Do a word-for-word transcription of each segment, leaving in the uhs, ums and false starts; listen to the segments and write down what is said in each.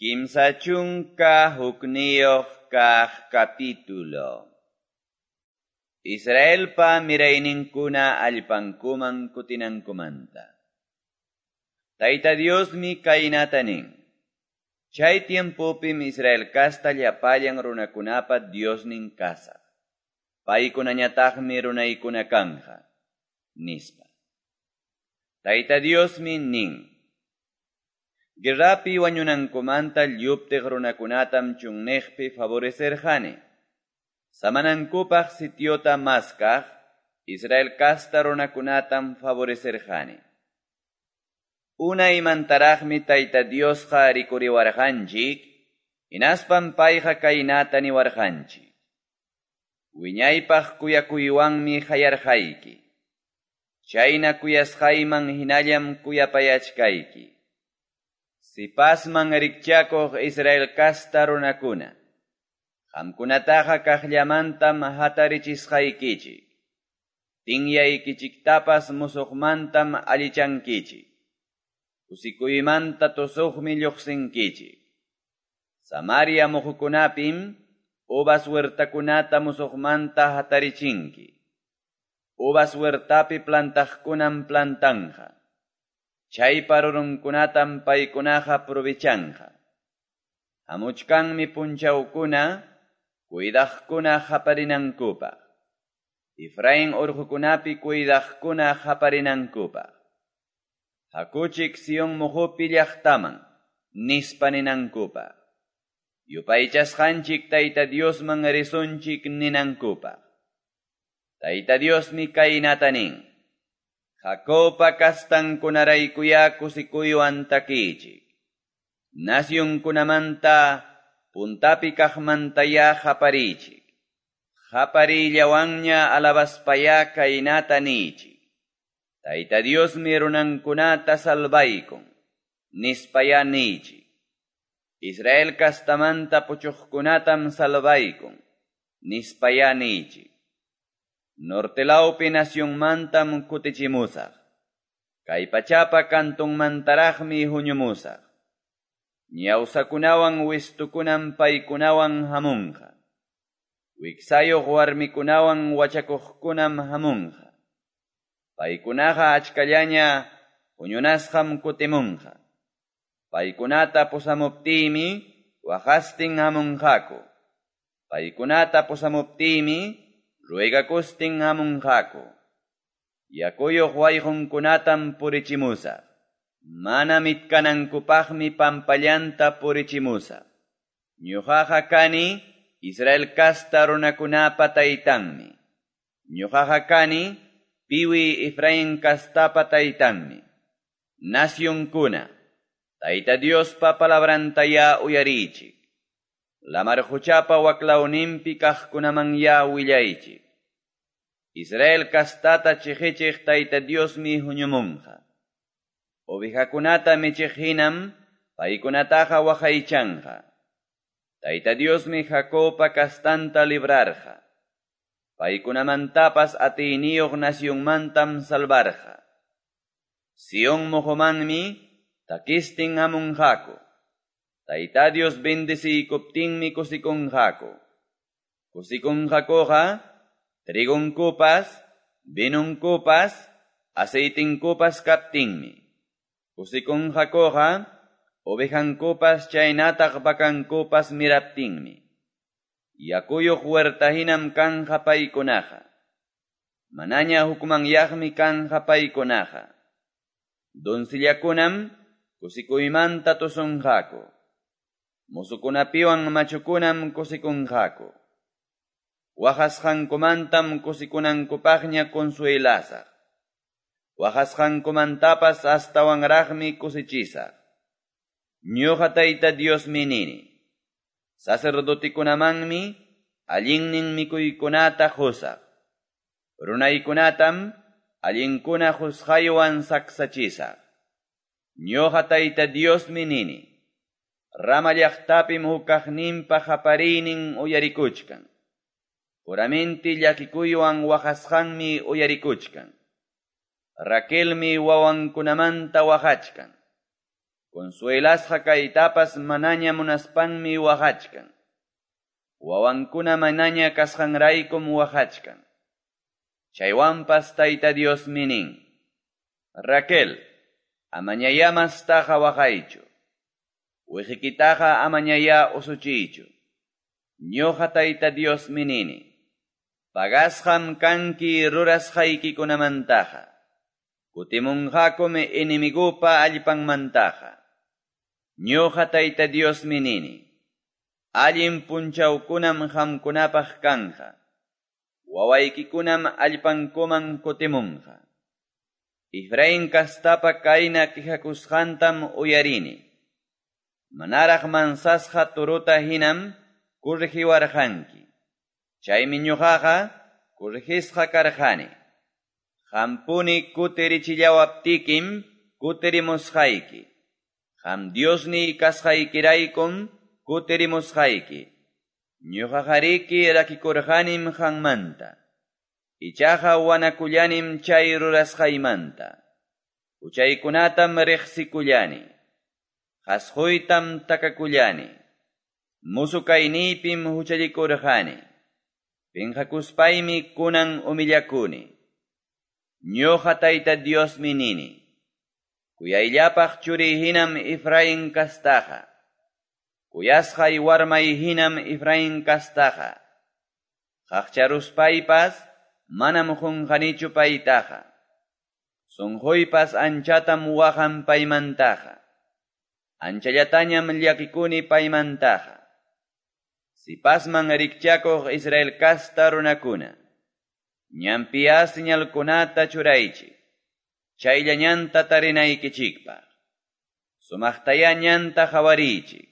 Kimsa chunka hukniyuq kaq capítulo. Israelpa mirayninkuna allpankuman kutinankumanta. Tayta Diosmi kaynata nin. Chay tiempopim Israel kasta llapallan runakunapa Diosnin kasaq. Paykunañataqmi runaykuna kanja, nispa. Tayta Diosmi nin. Guerrapi wañunankumanta lluptiq runakunatam chunniqpi favorecerqani. Samanankupaq sitiota maskaq Israel kasta runakunatam favorecerqani. Unaymantaraqmi Tayta Diosqa rikuriwarqanchik, hinaspam payqa kaynata niwarqanchik. Wiñaypaq kuyakuywanmi qayarqayki. Chayna kuyasqayman hinallam kuyapayachkayki. Sipasman rikchakuq Israel kasta runakuna, qamkunataqa kaqllamantam hatarichisqaykichik. Tinyaykichiktapas musuqmantam allichankichik. Kusikuymanta tusuqmi lluqsinkichik. Samaria muhukunapim uvas huertakunata musuqmanta hatarichinki. Uvas huertapi plantaqkunam plantanja. Chaypa rurunkunatam paykunaqa provechanja. Hamuchkanmi punchawkuna, cuidaqkuna qaparinankupaq. Efraín urqukunapi cuidaqkuna qaparinankupaq. Hakuchik Sion muhupi llaqtaman, nispa ninankupaq. Yupaychasqanchik Tayta Diosman risunchik ninankupaq. Tayta Diosmi kaynata nin. Jacobpa kastankunaraykuya kusikuywan takichik. Nasyunkunamanta puntapi kaqmantaya qaparichik. Qaparillawanña alabaspaya kaynata nichik. Tayta Diosmi runankunata salvaykun, nispaya nichik. Israel kastamanta puchuqkunatam salvaykun, nispaya nichik. Nortelawpi nasyunmantam kutichimusaq. Kay pachapa kantunmantaraqmi huñumusaq. Ñawsakunawan wistukunam paykunawan hamunqa. Wiksayuq warmikunawan wachakuqkunam hamunqa. Paykunaqa achkallaña huñunasqam kutimunqa. Paykunata pusamuptiymi waqastin hamunqaku. Paykunata pusamuptiymi ruegakustin hamunqaku. Yakuyuq wayqunkunatam purichimusaq. Mana mitkanankupaqmi pampallanta purichimusaq. Ñuqaqa kani Israel kasta runakunapa taytanmi. Ñuqaqa kani piwi Efraín kastapa taytanmi. Nasyunkuna, Tayta Diospa palabrantaya uyarichik. Lamar quchapa waklawninpi kaqkunaman ya willaychik. Israel kastata chiqichiq Tayta Diosmi huñumunqa. Ovejakunata michiq hinam paykunataqa waqaychanqa. Tayta Diosmi Jacobpa kastanta librarqa. Paykunamantapas atiyniyuq nasyunmantam salvarqa. Sion muhumanmi takistin hamunqaku. Tayta Dios bendeciykuptinmi kusikunqaku. Kusikunqakuqa trigunkupas, vinunkupas, aceitinkupas kaptinmi. Kusikunqakuqa ovejankupas chaynataq vacankupas miraptinmi. Yakuyuq huerta hinam kanja paykunaqa. Manaña hukmanyaqmi kanja paykunaqa. Donsillakunam kusikuymanta tusunqaku. Musukunapiwan machukunam kusikunqaku. Waqasqankumantam kusikunankupaqña consuelasaq. Waqasqankumantapas astawanraqmi kusichisaq. Ñuqa Tayta Diosmi nini. Sacerdotikunamanmi allinnin mikuykunata qusaq. Runaykunatam allinkuna qusqaywan saksachisaq. Ñuqa Tayta Diosmi nini. Rama llaqtapim hukaqninpa qapariynin uyarikuchkan. Puramenti llakikuywan waqasqanmi uyarikuchkan. Raquelmi wawankunamanta waqachkan. Consuelasqa kaytapas manaña munaspanmi waqachkan. Wawankuna manaña kasqanraykum waqachkan. Chaywanpas Tayta Diosmi nin: Raquel, amañayá mastaqa waqaychu. Wiqikitaqa amañayá usuchiychu. Ñuqa Tayta Diosmi nini: Pagasqam kanki rurasqaykikunamantaqa. Kutimunqakum enemigupa allpanmantaqa. Ñuqa Tayta Diosmi nini: Allin punchawkunam qamkunapaq kanqa. Wawaykikunam allpankuman kutimunqa. Efraín kastapa kayna quejakusqantam uyarini. Manaraq mansasqa torota hinam corregiwarqanki. Chaymi ñuqaqa corregisqa karqani. Qampuni kutirichillawaptikim kutirimusqayki. Qam Diosniy kasqaykiraykum kutirimusqayki. Ñuqaqariki rakikurqanim qammanta. Ichaqa wanakullanim chay rurasqaymanta. Huchaykunatam riqsikullani. Qasquytam takakullani. Musu kayniypim huchallikurqani. Pinqakuspaymi kunan humillakuni. Ñuqa Tayta Diosmi nini: Kuyayllapaq churiy hinam Efraín kastaqa. Kuyasqay warmay hinam Efraín kastaqa. Qaqcharuspaypas manam qunqanichu paytaqa. Sunquypas anchatam waqan paymantaqa. Anchallatañam llakikuni paymantaqa. Sipasman rikchakuq Israel kasta runakuna, ñanpiya señalkunata churaychik, chaylla ñanta tarinaykichikpaq. Sumaqtayá ñanta qawariychik,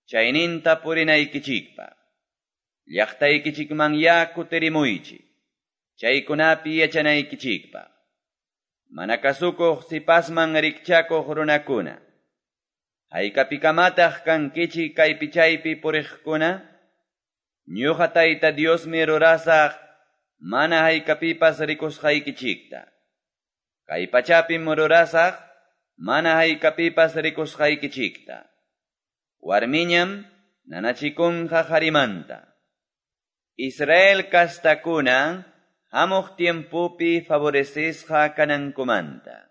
chayninta purinaykichikpaq. Llaqtaykichikmanyá kutirimuychik, chaykunapi yachanaykichikpaq. Mana kasukuq sipasman rikchakuq runakuna, haykapikamataq kankichik kaypi chaypi puriqkuna? Ñuqa Tayta Diosmi rurasaq mana haykapipas rikusqaykichikta. Kay pachapim rurasaq mana haykapipas rikusqaykichikta. Warmiñam nanachikunqa qarimanta. Israel kastakuna hamuq tiempopi favorecisqa kanankumanta.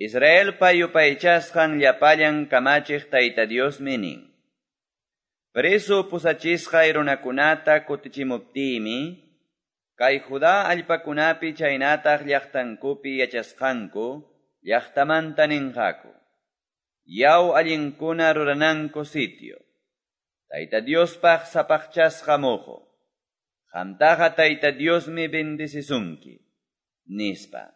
Israelpa yupaychasqan llapallan kamachiq Tayta Diosmi nin: Preso pusachisqay runakunata kutichimuptiymi, kay Judá allpakunapi chaynataq llaqtankupi yachasqanku llaqtamanta ninqaku: Yaw allinkuna rurananku sitio, Tayta Diospaq sapaqchasqa muhu. Qamtaqa Tayta Diosmi bendecisunki, nispa.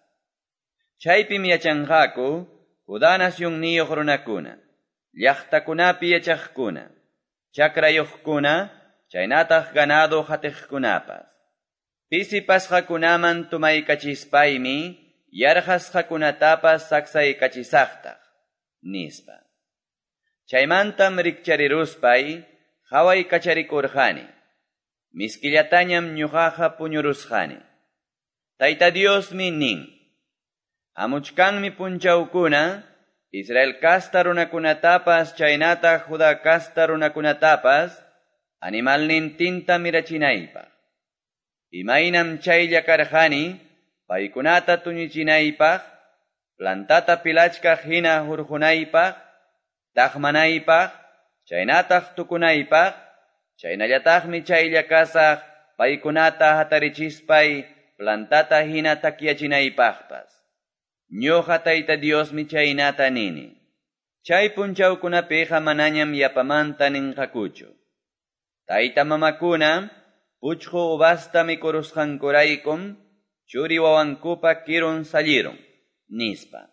Chaypim yachanqaku Judá nacionniyuq runakuna, llaqtakunapi yachaqkuna, chakrayuqkuna, chaynataq ganado hatiqkunapas. Pisipasqakunaman tumaykachispaymi yarqasqakunatapas saksaykachisaqtaq, nispa. Chaymantam rikchariruspay qawaykacharikurqani. Miskillatañam ñuqaqa puñurusqani. Tayta Diosmi nin: Hamuchkanmi punchawkuna, Israel kasta runakunatapas chaynataq Judá kasta runakunatapas animalnintinta mirachinaypaq. Imaynam chaylla karqani paykunata tuñichinaypaq, plantata pilachkaq hina hurqunaypaq, taqmanaypaq, chaynataq tukunaypaq, chaynallataqmi chaylla kasaq paykunata hatarichispay plantata hina takyachinaypaqpas. Ñuqa Tayta Diosmi chaynata nini. Chay punchawkunapiqa manañam yapamanta ninqakuchu: Tayta mamakuna puchqu uvasta mikurusqankuraykum churi wawankupa kirun sallirun, nispa.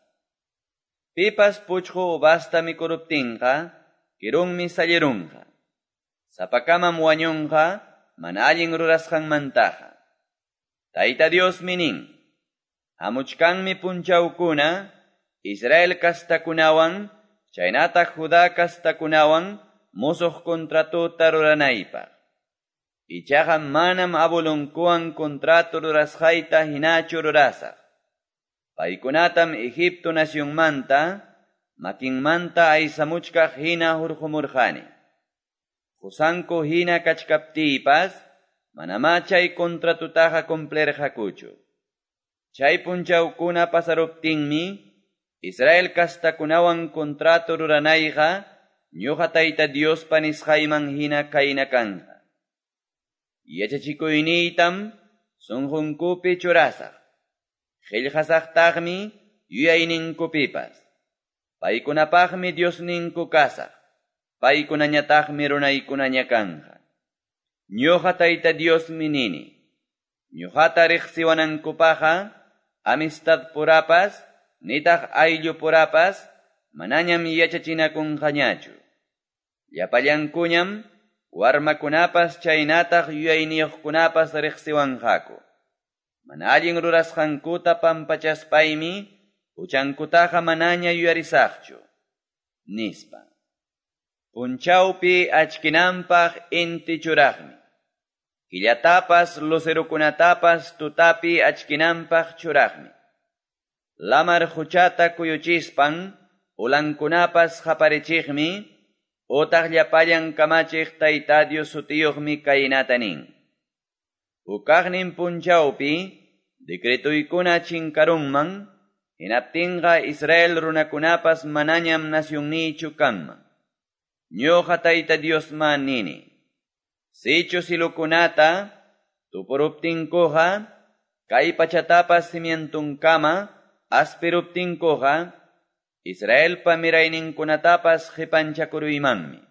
Pipas puchqu uvasta mikuruptinqa kirunmi sallirunqa. Sapakamam wañunqa mana allin rurasqanmantaqa. Tayta Diosmi nin: Hamuchkanmi punchawkuna Israel kastakunawan chaynataq Judá kastakunawan musuq contratota ruranaypaq. Ichaqa manam abuelonkuwan contrato rurasqayta hinachu rurasaq. Paykunatam Egipto nacionmanta makinmanta aysamuchkaq hina hurqomurqani. Qosanku hina kachkaptiypas manamá chay contratutaqa cumplirqakuchu. Chay punchawkuna pasaruptinmi Israel kastakunawan contrato ruranayqa ñuqa Tayta Diospa nisqayman hina kayna kanqa. Yachachikuyniytam sunqunkupi churasaq. Qillqasaqtaqmi yuyayninkupipas. Paykunapaqmi Diosninku kasaq. Paykunañataqmi runaykunaña kanqa. Ñuqa Tayta Diosmi nini. Ñuqata riqsiwanankupaqa amistad purapas nitaq ayllu purapas manañam yachachinakunqañachu. Llapallankuñam warmakunapas chaynataq yuyayniyuqkunapas riqsiwanqaku. Mana allin rurasqankuta pampachaspaymi huchankutaqa manaña yuyarisaqchu, nispa. Punchawpi achkinanpaq inti churaqmi. Killatapas lucerokunatapas tutapi achkinanpaq churaqmi. Lamar huchata kuyuchispan ulankunapas qaparichiqmi, utaq llapallan kamachiq Tayta Dios sutiyuqmi kaynata nin. Hukaqnin punchawpi decretoykuna chinkarunman, hinaptinqa Israel runakunapas manañam nacionniychu kanman. Ñuqa Tayta Diosma nini. Sichu silukunata tupuruptinkuqa, kay pachatapas cimientunkama aspiruptinkuqa, Israelpa mirayninkunatapas qipanchakuruymanmi.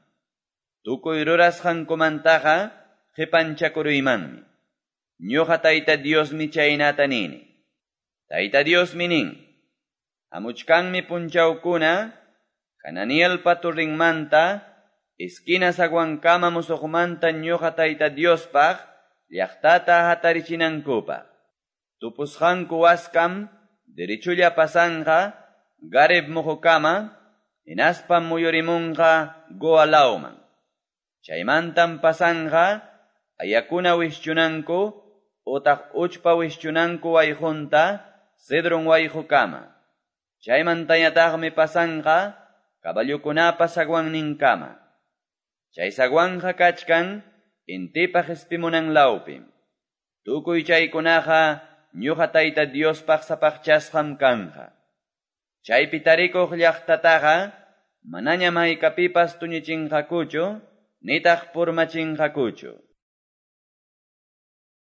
Tukuy rurasqankumantaqa qipanchakuruymanmi. Ñuqa Tayta Diosmi chaynata nini. Tayta Diosmi nin. Hamuchkanmi punchawkuna Hananielpa turrinmanta esquina zaguankama musuqmanta ñuqa Tayta Diospaq llaqtata hatarichinankupaq. Tupusqanku waskam derechulla pasanqa Gareb muqukama hinaspam muyurimunqa Goa lawman. Chaymantam pasanqa ayakuna wischunanku utaq uchpa wischunanku wayqunta Cedron wayqukama. Chaymantañataqmi pasanqa caballokunapa zaguanninkama. Chay zaguanja kachkan intipa qhispimunan lawpim. Tukuy chaykunaqa ñuqa Tayta Diospaq sapaqchasqam kanqa. Chaypi tarikuq llaqtataqa manañam haykapipas tuñichinqakuchu nitaq purmachinqakuchu.